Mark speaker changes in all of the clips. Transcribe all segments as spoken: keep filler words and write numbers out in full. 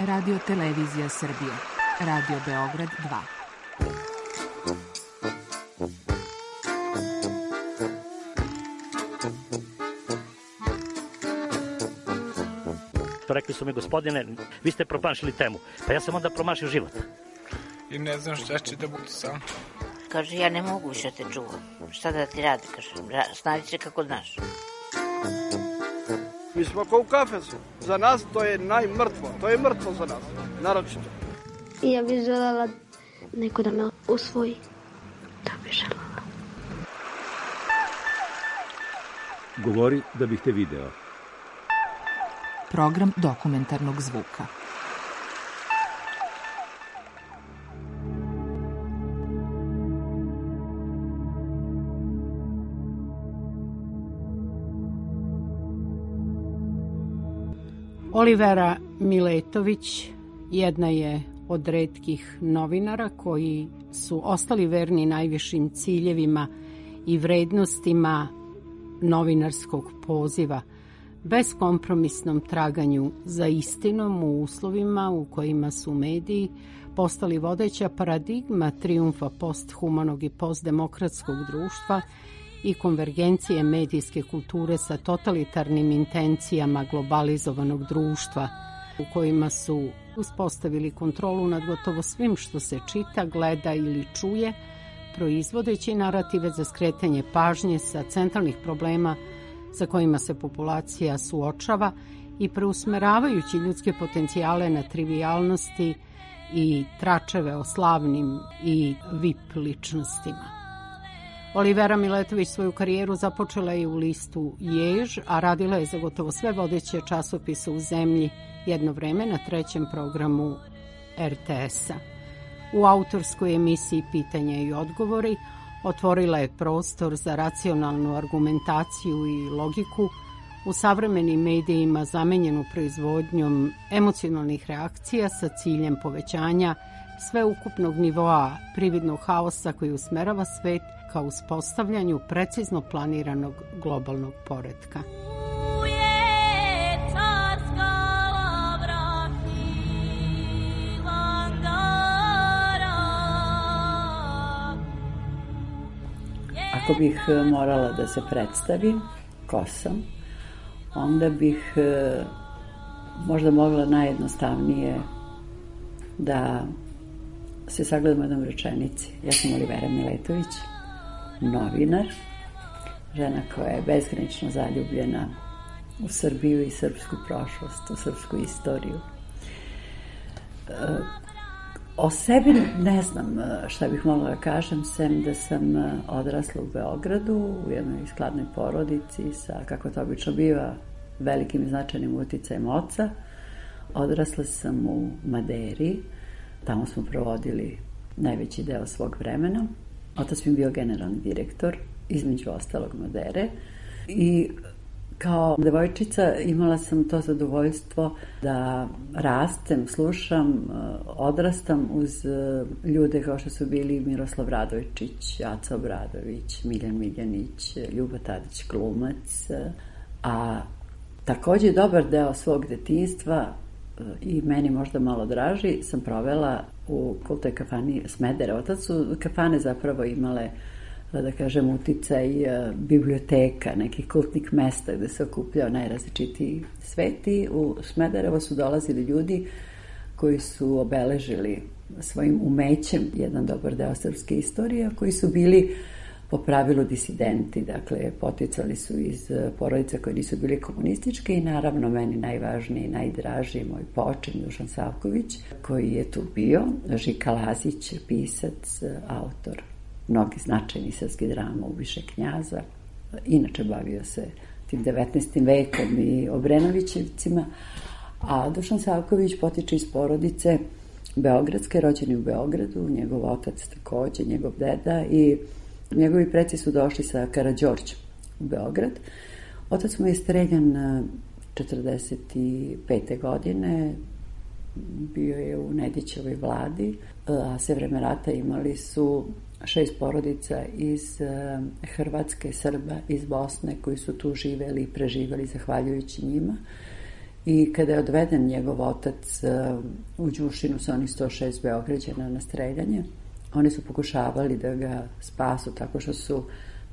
Speaker 1: Radio Televizija Srbije, Radio Beograd dva.
Speaker 2: Rekli su mi, gospodine, vi ste promašili temu. Pa ja sam onda promašio život.
Speaker 3: I ne znam šta će da bude sam.
Speaker 4: Kaže, ja ne mogu više te čuvam. Šta da ti radi, kaže, snađi se kako znaš.
Speaker 5: Mi smo kao u kafesu. Za nas to je najmrtvo. To je mrtvo za nas, naročito.
Speaker 6: I ja bih želela neko da me usvoji. Da bih želela.
Speaker 7: Govori da bih te video.
Speaker 1: Program dokumentarnog zvuka.
Speaker 8: Olivera Miletović jedna je od retkih novinara koji su ostali verni najvišim ciljevima i vrednostima novinarskog poziva, beskompromisnom traganju za istinom u uslovima u kojima su mediji postali vodeća paradigma trijumfa posthumanog i postdemokratskog društva i konvergencije medijske kulture sa totalitarnim intencijama globalizovanog društva u kojima su uspostavili kontrolu nad gotovo svim što se čita, gleda ili čuje, proizvodeći narative za skretanje pažnje sa centralnih problema sa kojima se populacija suočava i preusmeravajući ljudske potencijale na trivijalnosti i tračeve o slavnim i V I P ličnostima. Olivera Miletović svoju karijeru započela je u listu Jež, a radila je za gotovo sve vodeće časopise u zemlji jedno vreme na trećem programu R T S-a. U autorskoj emisiji Pitanja i odgovori otvorila je prostor za racionalnu argumentaciju i logiku u savremenim medijima zamenjenu proizvodnjom emocionalnih reakcija sa ciljem povećanja sveukupnog nivoa prividnog haosa koji usmerava svet ka uspostavljanju precizno planiranog globalnog poretka.
Speaker 9: Ako bih morala da se predstavim ko sam, onda bih možda mogla najjednostavnije da se sagledamo jednom rečenici. Ja sam Olivera Miletović, novinar, žena koja je bezgranično zaljubljena u Srbiju i srpsku prošlost, u srpsku istoriju. O sebi ne znam šta bih mogla da kažem, sem da sam odrasla u Beogradu, u jednoj skladnoj porodici sa, kako to obično biva, velikim i značajnim uticajem oca. Odrasla sam u Maderi, tamo smo provodili najveći deo svog vremena. Otac mi je bio generalni direktor, između ostalog Madere. I kao devojčica imala sam to zadovoljstvo da rastem, slušam, odrastam uz ljude kao što su bili Miroslav Radojčić, Aca Obradović, Miljan Miljanić, Ljuba Tadić glumac. A takođe dobar deo svog detinjstva i meni možda malo draži sam provela u kultoj kafani Smederevo. Tad su kafane zapravo imale, da kažem, uticaj biblioteka, nekih kultnih mesta gde se okupljao najrazličitiji sveti. U Smederevo su dolazili ljudi koji su obeležili svojim umećem jedan dobar deo srpske istorije, koji su bili po pravilu disidenti, dakle poticali su iz porodica koje nisu bili komunističke i naravno meni najvažniji, najdraži moj počin Dušan Savković, koji je tu bio, Žika Lazić, pisac, autor mnogi značajni srpskih drama, Ubiše knjaza, inače bavio se tim devetnaestim vekom i Obrenovićevcima, a Dušan Savković potiče iz porodice beogradske, rođeni u Beogradu, njegov otac takođe, njegov deda, i njegovi preci su došli sa Karađorđem u Beograd. Otac mu je streljan četrdeset pete godine, bio je u Nedićevoj vladi, a sve vreme rata imali su šest porodica iz Hrvatske, Srba, iz Bosne, koji su tu živeli i preživeli zahvaljujući njima. I kada je odveden njegov otac u Đušinu sa onih sto šest Beograđana na streljanje, oni su pokušavali da ga spasu tako što su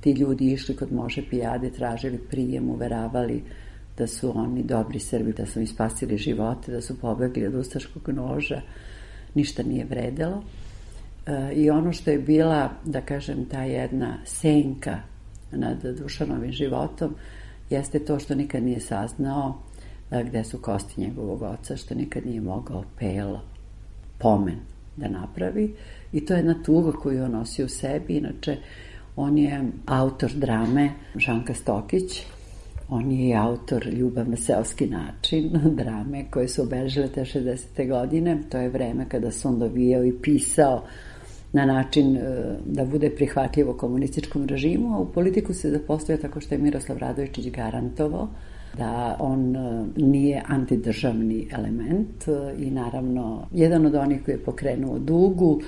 Speaker 9: ti ljudi išli kod Može Pijade, tražili prijem, uveravali da su oni dobri Srbi, da su im spasili živote, da su pobegli od ustaškog noža. Ništa nije vredelo. I ono što je bila, da kažem, ta jedna senka nad Dušanovim životom jeste to što nikad nije saznao gde su kosti njegovog oca, što nikad nije mogao Pelo pomen da napravi. I to je jedna tuga koju on nosi u sebi. Inače, on je autor drame Žanka Stokić, on je i autor Ljubav na seoski način, drame koje su obeležile te šezdesete godine. To je vreme kada se on dovijao i pisao na način da bude prihvatljivo komunističkom režimu, a u politiku se zapostavio tako što je Miroslav Radojičić garantovao da on nije antidržavni element i naravno jedan od onih koji je pokrenuo Dugu,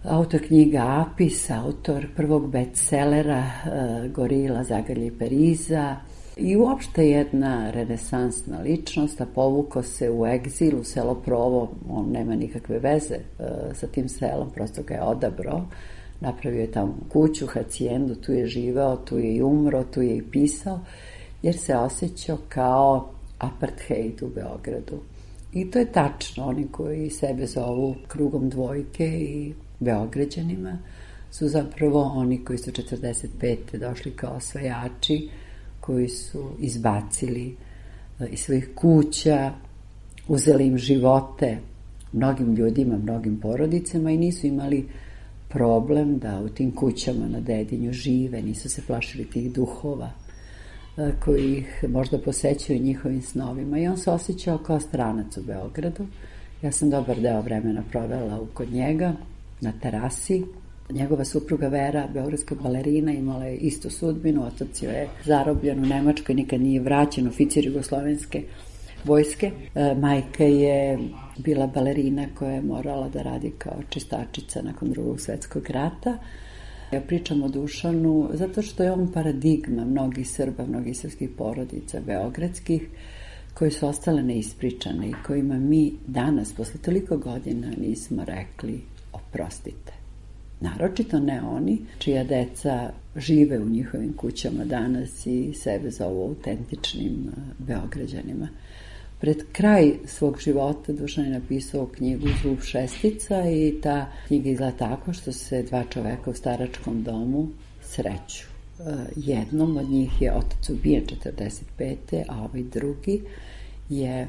Speaker 9: autor knjiga Apis, autor prvog bestsellera Gorila, Zagrlje i Periza i uopšte jedna renesansna ličnost, a povukao se u egzil u selo Provo. On nema nikakve veze sa tim selom, prosto ga je odabrao, napravio je tamo kuću, hacijendu, tu je živeo, tu je i umro, tu je i pisao, jer se osjećao kao apartheid u Beogradu. I to je tačno, oni koji sebe zovu krugom dvojke i Beograđanima su zapravo oni koji su četrdeset pete došli kao osvajači, koji su izbacili iz svojih kuća, uzeli im živote mnogim ljudima, mnogim porodicama i nisu imali problem da u tim kućama na Dedinju žive, nisu se plašili tih duhova koji ih možda posećaju njihovim snovima. I on se osjećao kao stranac u Beogradu. Ja sam dobar deo vremena provela kod njega na terasi. Njegova supruga Vera, beogradska balerina, imala je istu sudbinu. Otac je zarobljen u Nemačkoj, nikad nije vraćen, oficir jugoslovenske vojske. Majka je bila balerina koja je morala da radi kao čistačica nakon Drugog svetskog rata. Ja pričam o Dušanu zato što je on paradigma mnogih Srba, mnogih srpskih porodica beogradskih koje su ostale neispričane i kojima mi danas, posle toliko godina, nismo rekli oprostite. Naročito ne oni čija deca žive u njihovim kućama danas i sebe zovu autentičnim Beograđanima. Pred kraj svog života Dušan je napisao knjigu Zub šestica i ta knjiga izgleda tako što se dva čoveka u staračkom domu sreću. Jednom od njih je otac ubijen četrdeset pete a ovaj drugi je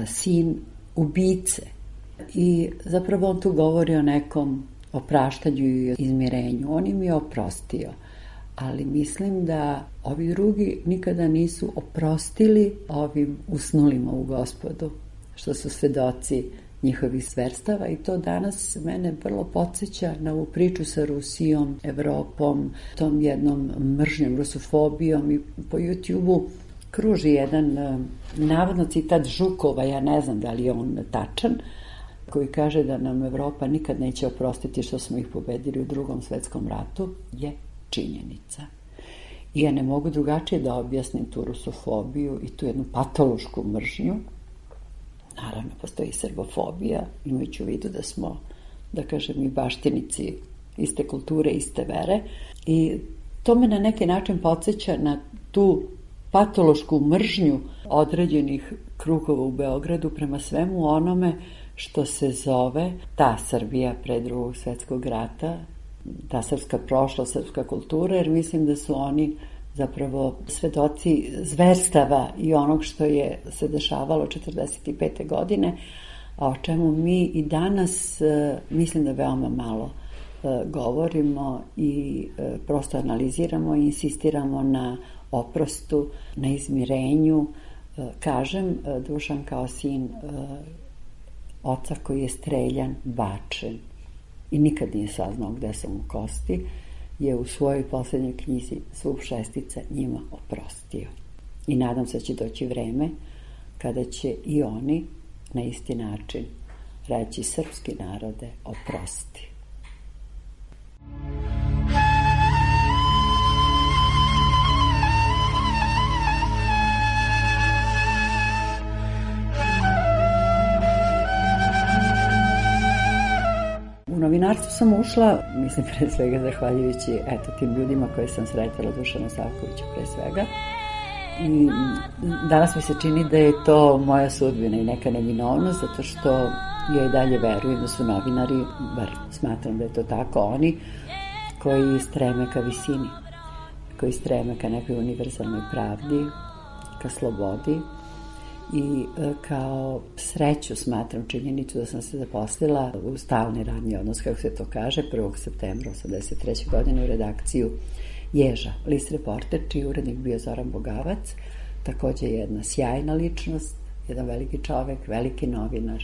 Speaker 9: sin ubice. I zapravo on tu govori o nekom opraštanju i izmirenju. On im je oprostio, ali mislim da ovi drugi nikada nisu oprostili ovim usnulima u Gospodu, što su svedoci njihovih zverstava i to danas mene vrlo podsjeća na ovu priču sa Rusijom, Evropom, tom jednom mržnjom, rusofobijom i po YouTube-u kruži jedan navodno citat Žukova, ja ne znam da li je on tačan, koji kaže da nam Evropa nikad neće oprostiti što smo ih pobedili u Drugom svetskom ratu, je činjenica. I ja ne mogu drugačije da objasnim tu rusofobiju i tu jednu patološku mržnju. Naravno, postoji srbofobija, imajući u vidu da smo, da kažem, i baštinici iste kulture, iste vere. I to me na neki način podsjeća na tu patološku mržnju određenih krugova u Beogradu prema svemu onome što se zove ta Srbija pre Drugog svetskog rata, ta srpska prošla, srpska kultura, jer mislim da su oni zapravo svedoci zverstava i onog što je se dešavalo četrdeset pete godine, a o čemu mi i danas mislim da veoma malo govorimo i prosto analiziramo i insistiramo na oprostu, na izmirenju. Kažem, Dušan kao sin oca koji je streljan, bačen i nikad nije saznao gde su mu kosti, je u svojoj poslednjoj knjizi Zub šestica njima oprostio. I nadam se da će doći vreme kada će i oni na isti način reći srpski narode oprosti. Novinarstvo sam ušla, mislim, pre svega zahvaljujući eto, tim ljudima koje sam sretala, Dušanu Savkoviću pre svega. I danas mi se čini da je to moja sudbina i neka neminovnost, zato što ja i dalje verujem da su novinari, bar smatram da je to tako, oni koji streme ka visini, koji streme ka nekoj univerzalnoj pravdi, ka slobodi i kao sreću smatram činjenicu da sam se zaposlila u stalni radni odnos, kako se to kaže, prvog septembra osamdeset treće godine u redakciju Ježa, list Reporter, čiji urednik bio Zoran Bogavac, takođe jedna sjajna ličnost, jedan veliki čovek, veliki novinar.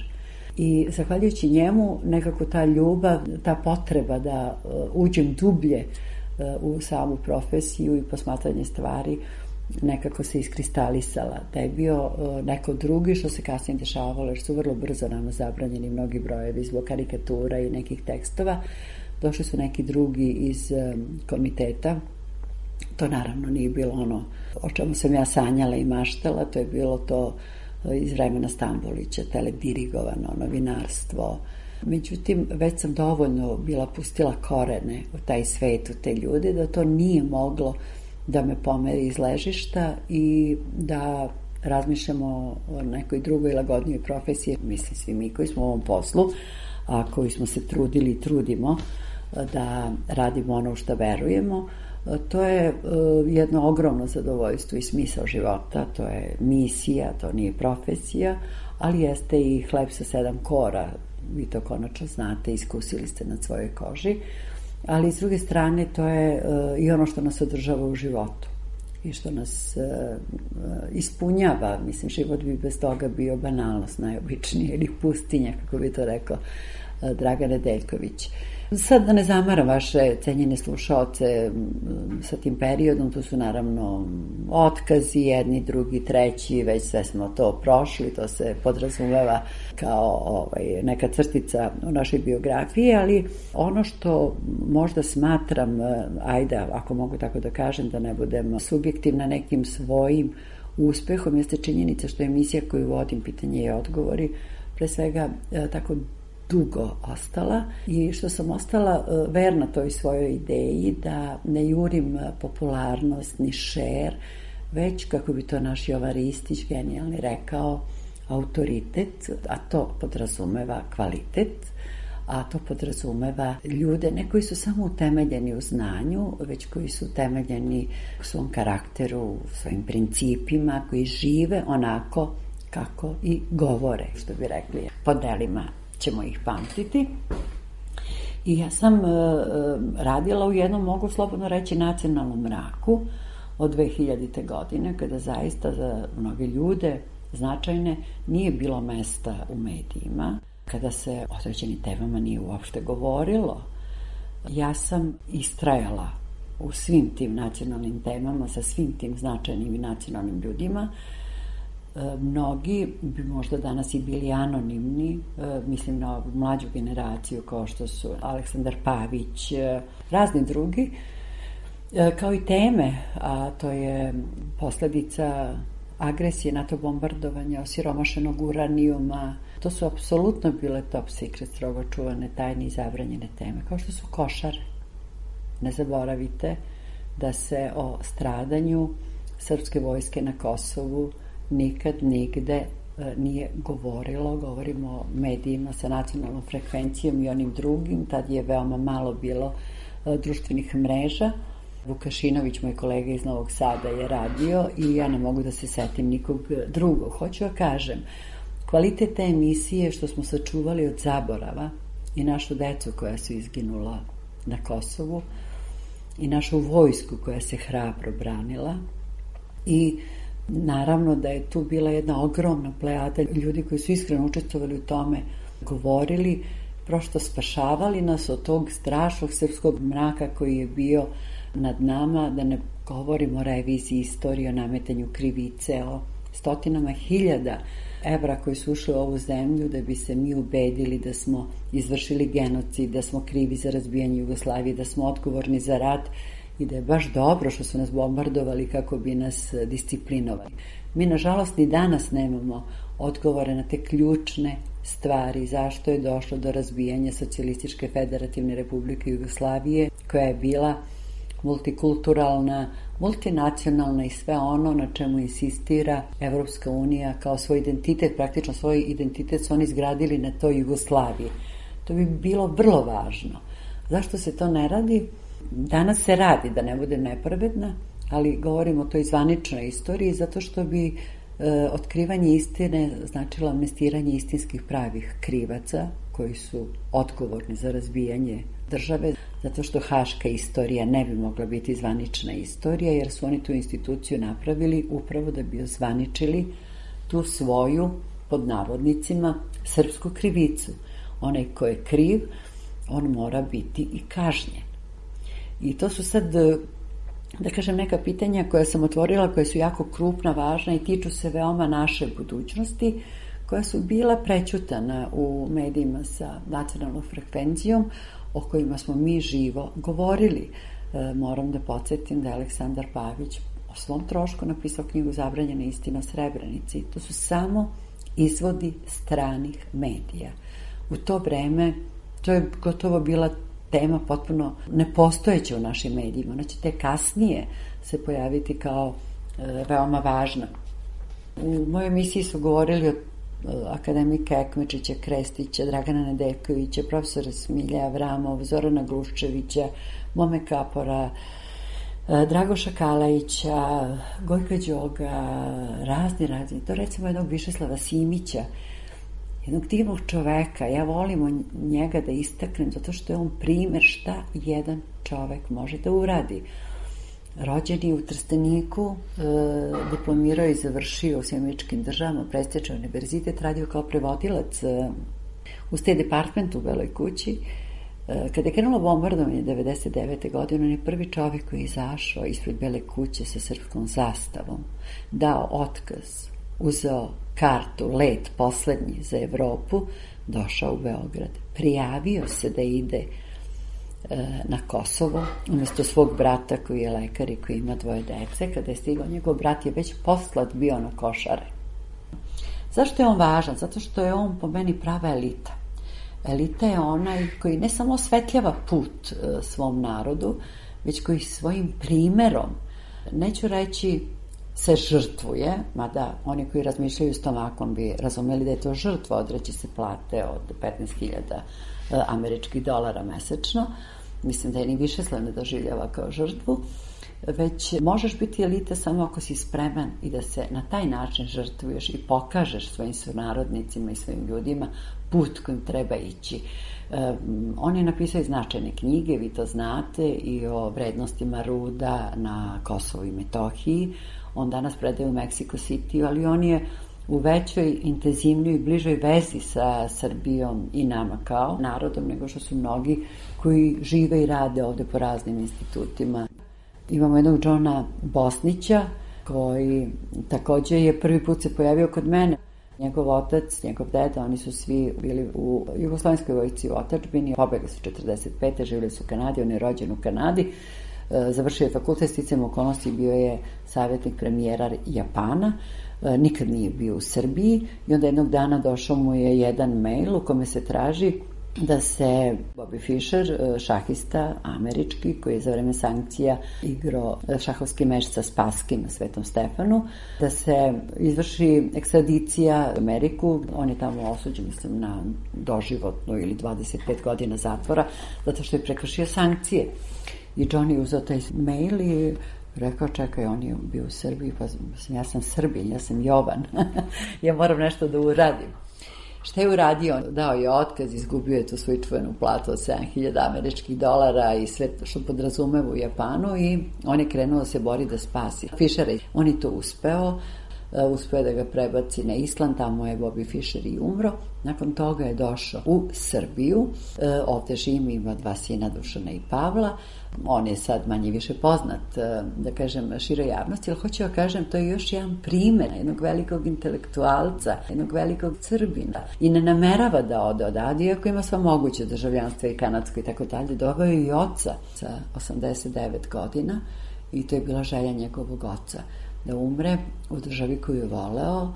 Speaker 9: I zahvaljujući njemu nekako ta ljubav, ta potreba da uh, uđem dublje uh, u samu profesiju i posmatranje stvari nekako se iskristalisala. Da je bio uh, neko drugi, što se kasnije dešavalo, jer su vrlo brzo nama zabranjeni mnogi brojevi zbog karikatura i nekih tekstova. Došli su neki drugi iz um, komiteta. To naravno nije bilo ono o čemu sam ja sanjala i maštala, to je bilo to iz vremena Stambolića, teledirigovano novinarstvo. Međutim, već sam dovoljno bila pustila korene u taj svet, u te ljude, da to nije moglo da me pomeri iz ležišta i da razmišljamo o nekoj drugoj lagodnijoj profesiji. Mislim, svi mi koji smo u ovom poslu, a koji smo se trudili i trudimo da radimo ono u što verujemo, to je jedno ogromno zadovoljstvo i smisao života, to je misija, to nije profesija, ali jeste i hleb sa sedam kora, vi to konačno znate, iskusili ste na svojoj koži, ali s druge strane to je i ono što nas održava u životu i što nas ispunjava. Mislim, život bi bez toga bio banalnost najobičnije ili pustinja, kako bi to rekao Dragan Nedeljković. Sad da ne zamaram vaše cenjene slušaoce sa tim periodom, tu su naravno otkazi, jedni, drugi, treći, već sve smo to prošli, to se podrazumeva kao ovaj, neka crtica u našoj biografiji, ali ono što možda smatram, ajde, ako mogu tako da kažem, da ne budem subjektivna nekim svojim uspehom, jeste činjenica što je emisija koju vodim, pitanje i odgovori, pre svega tako dugo ostala i što sam ostala verna toj svojoj ideji da ne jurim popularnost ni šer, već, kako bi to naš Jovan Ristić genijalni rekao, autoritet, a to podrazumeva kvalitet, a to podrazumeva ljude, ne koji su samo utemeljeni u znanju, već koji su utemeljeni u svom karakteru, u svojim principima, koji žive onako kako i govore, što bi rekli, po delima ćemo ih pamtiti. I ja sam e, radila u jednom, mogu slobodno reći, nacionalnom mraku od dve hiljadite godine, kada zaista za mnoge ljude značajne nije bilo mesta u medijima, kada se o određenim temama nije uopšte govorilo. Ja sam istrajala u svim tim nacionalnim temama, sa svim tim značajnim i nacionalnim ljudima. Mnogi bi možda danas i bili anonimni, mislim na mlađu generaciju kao što su Aleksandar Pavić, razni drugi, kao i teme, a to je posledica agresije, NATO bombardovanja, osiromašenog uranijuma. To su apsolutno bile top secret, strogo čuvane, tajne i zabranjene teme, kao što su košare. Ne zaboravite da se o stradanju srpske vojske na Kosovu nikad nigde nije govorilo, govorimo o medijima sa nacionalnom frekvencijom i onim drugim, tad je veoma malo bilo društvenih mreža. Vukašinović, moj kolega iz Novog Sada, je radio i ja ne mogu da se setim nikog drugog. Hoću da kažem, kvalitet te emisije što smo sačuvali od zaborava i našu decu koja su izginula na Kosovu i našu vojsku koja se hrabro branila i naravno da je tu bila jedna ogromna plejada ljudi koji su iskreno učestvovali u tome, govorili, prosto spašavali nas od tog strašnog srpskog mraka koji je bio nad nama, da ne govorimo o reviziji istorije, o nametanju krivice, o stotinama hiljada evra koji su ušli u ovu zemlju da bi se mi ubedili da smo izvršili genocid, da smo krivi za razbijanje Jugoslavije, da smo odgovorni za rat i da je baš dobro što su nas bombardovali kako bi nas disciplinovali. Mi, nažalost, ni danas nemamo odgovore na te ključne stvari zašto je došlo do razbijanja Socijalističke federativne republike Jugoslavije, koja je bila multikulturalna, multinacionalna i sve ono na čemu insistira Evropska unija kao svoj identitet, praktično svoj identitet su oni izgradili na toj Jugoslaviji. To bi bilo vrlo važno. Zašto se to ne radi? Danas se radi, da ne bude nepravedna, ali govorimo o toj zvaničnoj istoriji, zato što bi e, otkrivanje istine značilo amnestiranje istinskih pravih krivaca koji su odgovorni za razbijanje države, zato što haška istorija ne bi mogla biti zvanična istorija, jer su oni tu instituciju napravili upravo da bi ozvaničili tu svoju, pod navodnicima, srpsku krivicu. Onaj ko je kriv, on mora biti i kažnjen. I to su sad, da kažem, neka pitanja koja sam otvorila, koja su jako krupna, važna i tiču se veoma naše budućnosti, koja su bila prećutana u medijima sa nacionalnom frekvencijom, o kojima smo mi živo govorili. E, moram da podsjetim da je Aleksandar Pavić o svom trošku napisao knjigu Zabranjena istina o Srebrenici. To su samo izvodi stranih medija. U to vreme to je gotovo bila tema potpuno nepostojeća u našim medijima. Ona će te kasnije se pojaviti kao e, veoma važna. U mojoj emisiji su govorili o akademika Ekmečića, Krestića, Dragana Nedeljkovića, profesora Smilja Avramov, Zorana Gluščevića, Mome Kapora, Dragoša Kalajića, Gojka Đoga, razni, razni. To recimo jednog Višeslava Simića, jednog divnog čoveka. Ja volim njega da istaknem zato što je on primer šta jedan čovek može da uradi. Rođen je u Trsteniku, e, diplomirao i završio u Sjedinjenim Američkim Državama, prestižan univerzitet, radio kao prevodilac e, u State Departmentu u Beloj kući. E, kada je krenulo bombardovanje devedeset devete godine, on je prvi čovjek koji je izašao ispred Bele kuće sa srpskom zastavom, dao otkaz, uzeo kartu, let poslednji za Evropu, došao u Beograd, prijavio se da ide na Kosovo, umjesto svog brata koji je lekar i koji ima dvoje dece. Kada je stigao, njegov brat je već poslat bio na Košare. Zašto je on važan? Zato što je on po meni prava elita. Elita je onaj koji ne samo osvetljava put svom narodu, već koji svojim primerom, neću reći se žrtvuje, mada oni koji razmišljaju stomakom bi razumeli da je to žrtva, odreći se plate od petnaest hiljada američkih dolara mesečno. Mislim da je ni Višeslav ne doživljava kao žrtvu, već možeš biti elita samo ako si spreman i da se na taj način žrtvuješ i pokažeš svojim sunarodnicima i svojim ljudima put kojim treba ići. Um, on je napisao i značajne knjige, vi to znate, i o vrednostima ruda na Kosovu i Metohiji. On danas predaje u Mexico City, ali on je u većoj, intenzivnijoj i bližoj vezi sa Srbijom i nama kao narodom, nego što su mnogi koji žive i rade ovde po raznim institutima. Imamo jednog Johna Bosnića, koji takođe je prvi put se pojavio kod mene. Njegov otac, njegov deda, oni su svi bili u Jugoslovenskoj vojsci u otadžbini, pobegli su četrdeset pete. živjeli su u Kanadi, on je rođen u Kanadi, završio je fakultet, sticajem okolnosti bio je savjetnik premijera Japana, nikad nije bio u Srbiji i onda jednog dana došao mu je jedan mail u kome se traži da se Bobby Fischer, šahista američki, koji je za vreme sankcija igrao šahovski meč sa Spaskim na Svetom Stefanu, da se izvrši ekstradicija u Ameriku. On je tamo osuđen, mislim, na doživotno ili dvadeset pet godina zatvora, zato što je prekršio sankcije. I John je uzeo taj mail i rekao, čekaj, on je bio u Srbiji, pa ja sam Srbin, ja sam Jovan, ja moram nešto da uradim. Šta je uradio? Dao je otkaz, izgubio je tu svoju čuvenu platu od sedam hiljada američkih dolara i sve što podrazumeva u Japanu i on je krenuo da se bori da spasi Fischera. On je to uspeo, uspeo da ga prebaci na Island, tamo je Bobby Fischer i umro. Nakon toga je došao u Srbiju, ovde živi, ima dva sina, Dušana i Pavla. On je sad manje više poznat, da kažem, široj javnosti, ali hoću da kažem, to je još jedan primer jednog velikog intelektualca, jednog velikog Srbina i ne namerava da ode odavde, iako ima sva moguće državljanstva i kanadsko i tako dalje. Doveo je i oca sa osamdeset devet godina i to je bila želja njegovog oca, da umre u državi koju je voleo,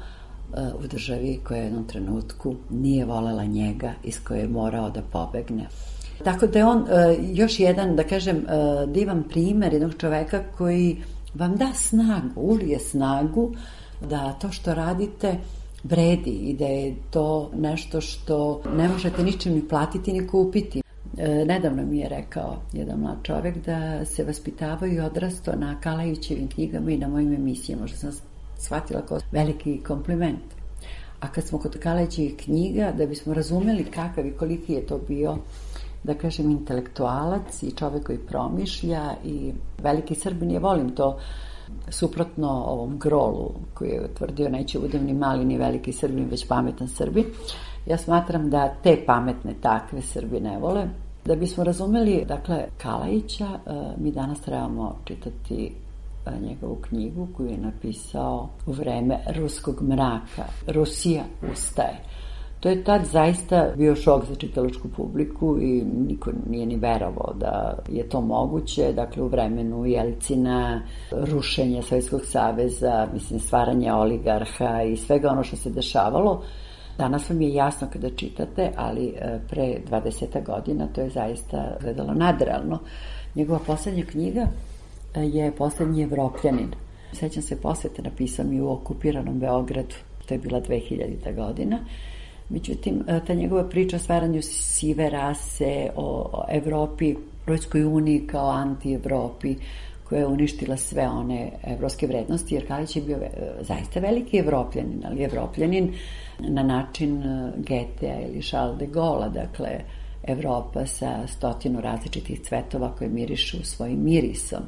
Speaker 9: u državi koja u jednom trenutku nije volela njega, iz koje je morao da pobegne. Tako da je on još jedan, da kažem, divan primer jednog čoveka koji vam da snagu, ulije snagu da to što radite vredi i da je to nešto što ne možete ničim ni platiti ni kupiti. Nedavno mi je rekao jedan mlad čovek da se vaspitavao i odrastao na Kalajićevim knjigama i na mojim emisijama, što sam shvatila kao veliki kompliment. A kad smo kod Kalajićevih knjiga, da bismo razumeli kakav i koliki je to bio, da kažem, intelektualac i čovek koji promišlja i veliki Srbin, ja volim to, suprotno ovom Grolu koji je tvrdio neće budem ni mali ni veliki Srbin, već pametan Srbin. Ja smatram da te pametne takve Srbi ne vole. Da bismo razumeli, dakle, Kalajića, mi danas trebamo čitati njegovu knjigu koju je napisao u vreme ruskog mraka. Rusija ustaje. To je tad zaista bio šok za čitalačku publiku i niko nije ni verovao da je to moguće. Dakle, u vremenu Jelcina, rušenja Sovjetskog saveza, mislim, stvaranje oligarha i svega ono što se dešavalo. Danas vam je jasno kada čitate, ali pre dvadeset godina to je zaista gledalo nadrealno. Njegova poslednja knjiga je Poslednji Evropljanin. Sećam se posvete, napisao mi u okupiranom Beogradu, to je bila dve hiljadita godina. Međutim, ta njegova priča o stvaranju sive rase, o Evropi, Evropskoj uniji kao anti-Evropi, koja je uništila sve one evropske vrednosti, jer Kalajić je bio zaista veliki evropljanin, ali evropljanin na način Getea ili Charles de Gaulle, dakle, Evropa sa stotinu različitih cvetova koje mirišu svojim mirisom.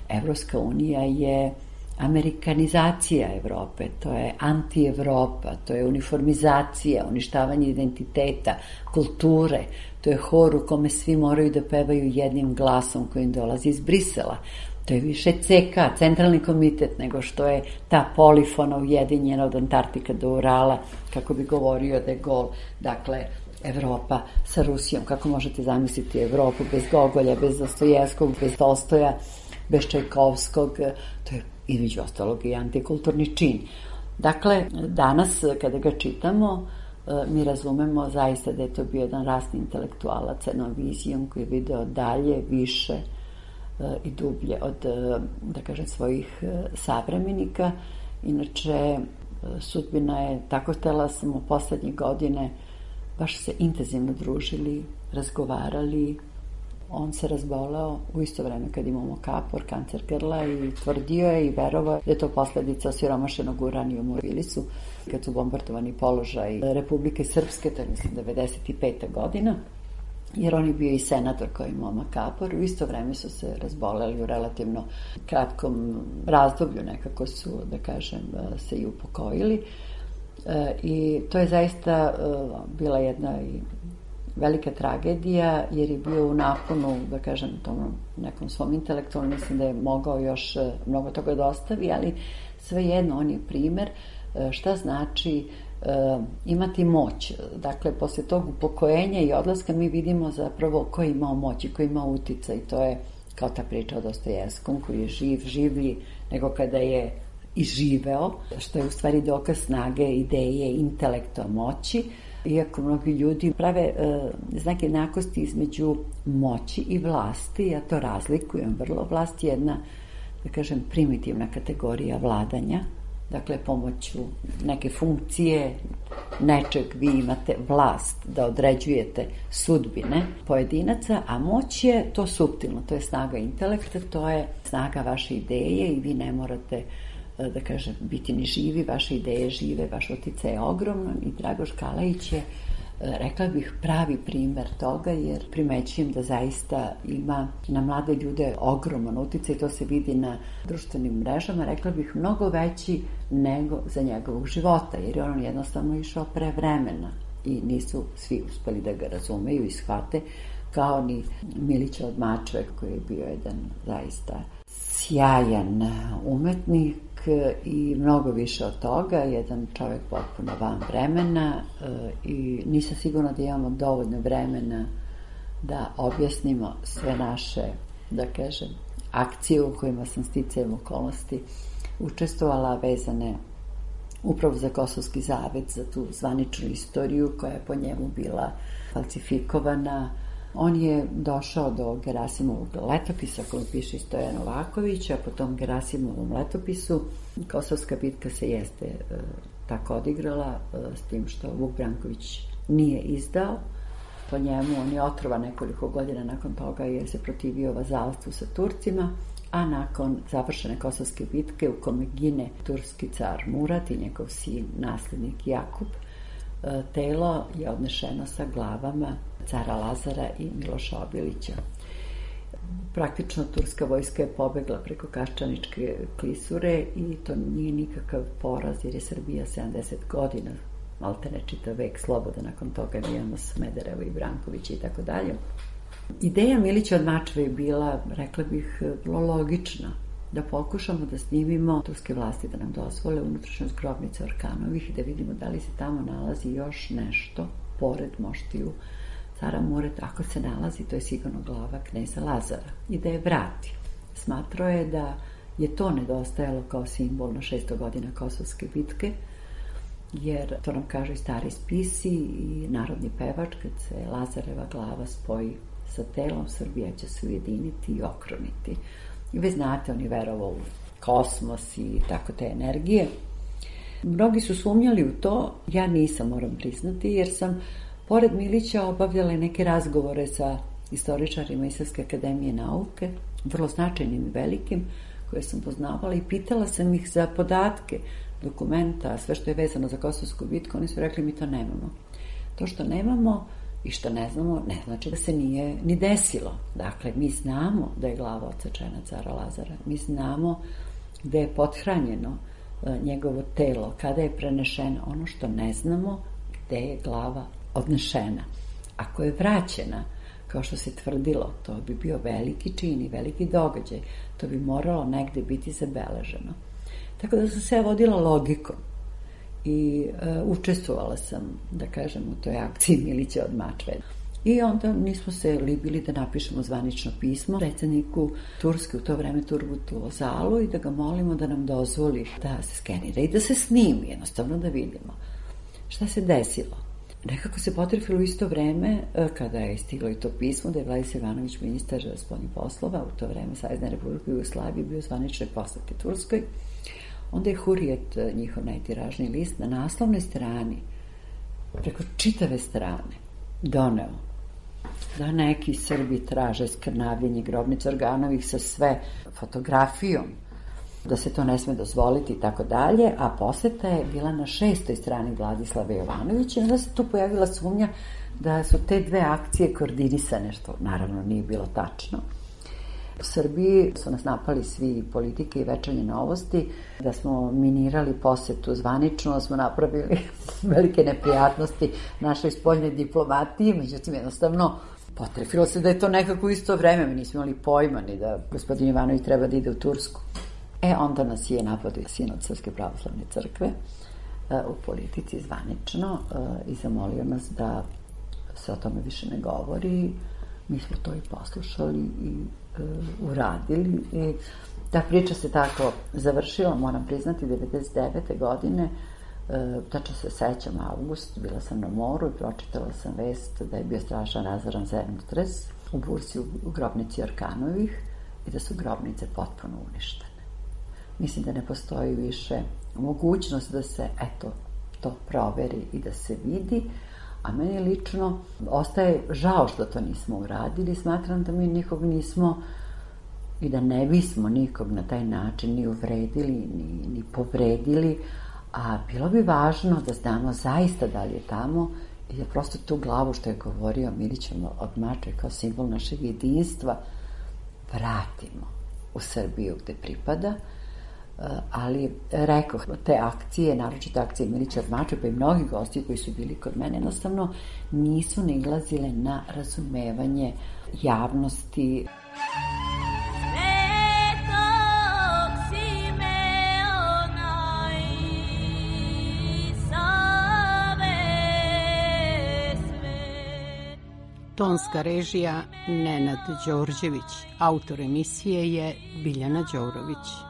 Speaker 9: Evropska unija je amerikanizacija Evrope, to je anti-Evropa, to je uniformizacija, uništavanje identiteta, kulture, to je hor u kome svi moraju da pevaju jednim glasom koji im dolazi iz Brisela. To je više C K, centralni komitet, nego što je ta polifona ujedinjena od Antarktika do Urala, kako bi govorio de Gaulle. Dakle, Evropa sa Rusijom, kako možete zamisliti Evropu bez Gogolja, bez Dostojevskog, bez Tolstoja, bez Čajkovskog, to je između ostalog i antikulturni čin. Dakle, danas kada ga čitamo, mi razumemo zaista da je to bio jedan rasni intelektualac, jednom vizijom koji je video dalje, više i dublje od, da kažem, svojih savremenika. Inače, sudbina je tako htela, sam u poslednje godine baš se intenzivno družili, razgovarali. On se razboleo u isto vreme kad imamo kapor, kancer grla, i tvrdio je i verovao da je to posledica osiromašenog uranijuma u Bilisu, kad su bombardovani položaj Republike Srpske, to je mislim devedeset peta godina, jer on je bio i senator koji imao kapor. U isto vreme su se razboleli u relativno kratkom razdoblju, nekako su, da kažem, se i upokojili. I to je zaista bila jedna i velika tragedija, jer je bio u naponu, da kažem, tom nekom svom intelektualnom, mislim da je mogao još mnogo toga da ostavi, ali svejedno on je primer šta znači uh, imati moć. Dakle, posle tog upokojenja i odlaska mi vidimo zapravo ko je imao moć i ko je imao uticaj. I to je kao ta priča o Dostojevskom, koji je živ, življi nego kada je i živeo, što je u stvari dokaz snage, ideje, intelekta, moći. Iako mnogi ljudi prave e, znak jednakosti između moći i vlasti, ja to razlikujem vrlo. Vlast je jedna, da kažem, primitivna kategorija vladanja. Dakle, pomoću neke funkcije, nečeg vi imate vlast da određujete sudbine pojedinaca, a moć je to suptilno, to je snaga intelekta, to je snaga vaše ideje i vi ne morate, da kažem, biti ni živi, vaše ideje žive, vaš uticaj je ogroman. I Dragoš Kalajić je rekla bih, pravi primer toga, jer primećujem da zaista ima na mlade ljude ogroman uticaj, to se vidi na društvenim mrežama, rekla bih mnogo veći nego za njegovog života, jer je on jednostavno išao pre vremena i nisu svi uspeli da ga razumeju i shvate, kao ni Milića od Mačve, koji je bio jedan zaista sjajan umetnik i mnogo više od toga, jedan čovjek potpuno van vremena i nisam sigurna da imamo dovoljno vremena da objasnimo sve naše, da kažem, akcije u kojima sam sticajem okolnosti učestvovala, vezane upravo za Kosovski zavet, za tu zvaničnu istoriju koja je po njemu bila falsifikovana. On je došao do Gerasimovog letopisa koji piše Stojan Novaković, a po tom Gerasimovom letopisu Kosovska bitka se jeste e, tako odigrala, e, s tim što Vuk Branković nije izdao. Po njemu on je otrovan nekoliko godina nakon toga jer se protivio vazalstvu sa Turcima, a nakon završene Kosovske bitke u kome gine turski car Murat i njegov sin, naslednik Jakub, e, telo je odnešeno sa glavama cara Lazara i Miloša Obilića. Praktično turska vojska je pobegla preko Kaščaničke klisure i to nije nikakav poraz, jer je Srbija sedamdeset godina, maltene čitav vek sloboda, nakon toga mi imamo Smederevo i Brankovića i tako dalje. Ideja Milića od Mačve je bila, rekla bih, vrlo logična, da pokušamo da snimimo turske vlasti da nam dozvole unutrašnjost grobnice Orkanovih i da vidimo da li se tamo nalazi još nešto pored moštiju cara Mureta. Ako se nalazi, to je sigurno glava kneza Lazara i da je vrati. Smatrao je da je to nedostajalo kao simbol na šesto godina Kosovske bitke, jer to nam kažu i stari spisi i narodni pevač, kad se Lazareva glava spoji sa telom, Srbija će se ujediniti i okruniti. I vi znate, on je verovao u kosmos i tako te energije. Mnogi su sumnjali u to, ja nisam, moram priznati, jer sam pored Milića obavljala neke razgovore sa istoričarima iz Srpske akademije nauke, vrlo značajnim i velikim, koje sam poznavala i pitala sam ih za podatke, dokumenta, sve što je vezano za Kosovsku bitku. Oni su rekli, mi to nemamo. To što nemamo i što ne znamo, ne znači da se nije ni desilo. Dakle, mi znamo da je glava odsečena cara Lazara, mi znamo da je pothranjeno njegovo telo, kada je prenešeno. Ono što ne znamo, gde je glava odnešena. Ako je vraćena, kao što se tvrdilo, to bi bio veliki čin i veliki događaj. To bi moralo negde biti zabeleženo. Tako da sam se vodila logikom i e, učestvovala sam, da kažem, u toj akciji Milića od Mačve. I onda nismo se libili da napišemo zvanično pismo predsjedniku Turske, u to vreme Turgutu Ozalu, i da ga molimo da nam dozvoli da se skenira i da se snimi, jednostavno da vidimo šta se desilo. Nekako se potrefilo isto vreme kada je stiglo i to pismo da je Vladislav Ivanović, ministar spoljnih poslova, u to vreme Savezne Republike Jugoslavije, bio zvaničnoj poseti Turskoj. Onda je Hurijet, njihov najtiražniji list, na naslovnoj strani, preko čitave strane, doneo da neki Srbi traže skrnavljenje grobnice Orkanovih sa sve fotografijom, da se to ne sme dozvoliti i tako dalje, a poseta je bila na šestoj strani Vladislava Jovanovića i onda se tu pojavila sumnja da su te dve akcije koordinisane, što naravno nije bilo tačno. U Srbiji su nas napali svi politike i Večernje novosti, da smo minirali posetu zvanično, da smo napravili velike neprijatnosti našoj spoljnoj diplomatiji, međutim jednostavno potrefilo se da je to nekako isto vreme, mi nismo imali pojma ni da gospodin Ivanović treba da ide u Tursku. E, onda nas je napadio sinod Srpske pravoslavne crkve u politici zvanično i zamolio nas da se o tome više ne govori. Mi smo to i poslušali i uradili i ta priča se tako završila, moram priznati, devedeset devete godine, tačno se sećam, avgust, bila sam na moru i pročitala sam vest da je bio strašan razoran zemljotres u Bursi u grobnici Orkanovih i da su grobnice potpuno uništene. Mislim da ne postoji više mogućnost da se, eto, to proveri i da se vidi, a meni lično ostaje žao što to nismo uradili. Smatram da mi nikog nismo i da ne bismo nikog na taj način ni uvredili, ni, ni povredili, a bilo bi važno da znamo zaista da li je tamo I da prosto tu glavu što je govorio Milićem od Mačve kao simbol našeg jedinstva vratimo u Srbiju gde pripada. Ali rekoh, te akcije, naročito akcije Milića od Mačve, pa i mnogi gosti koji su bili kod mene, jednostavno nisu nailazile na razumevanje javnosti.
Speaker 8: Tonska režija Nenad Đorđević, autor emisije je Biljana Đorović.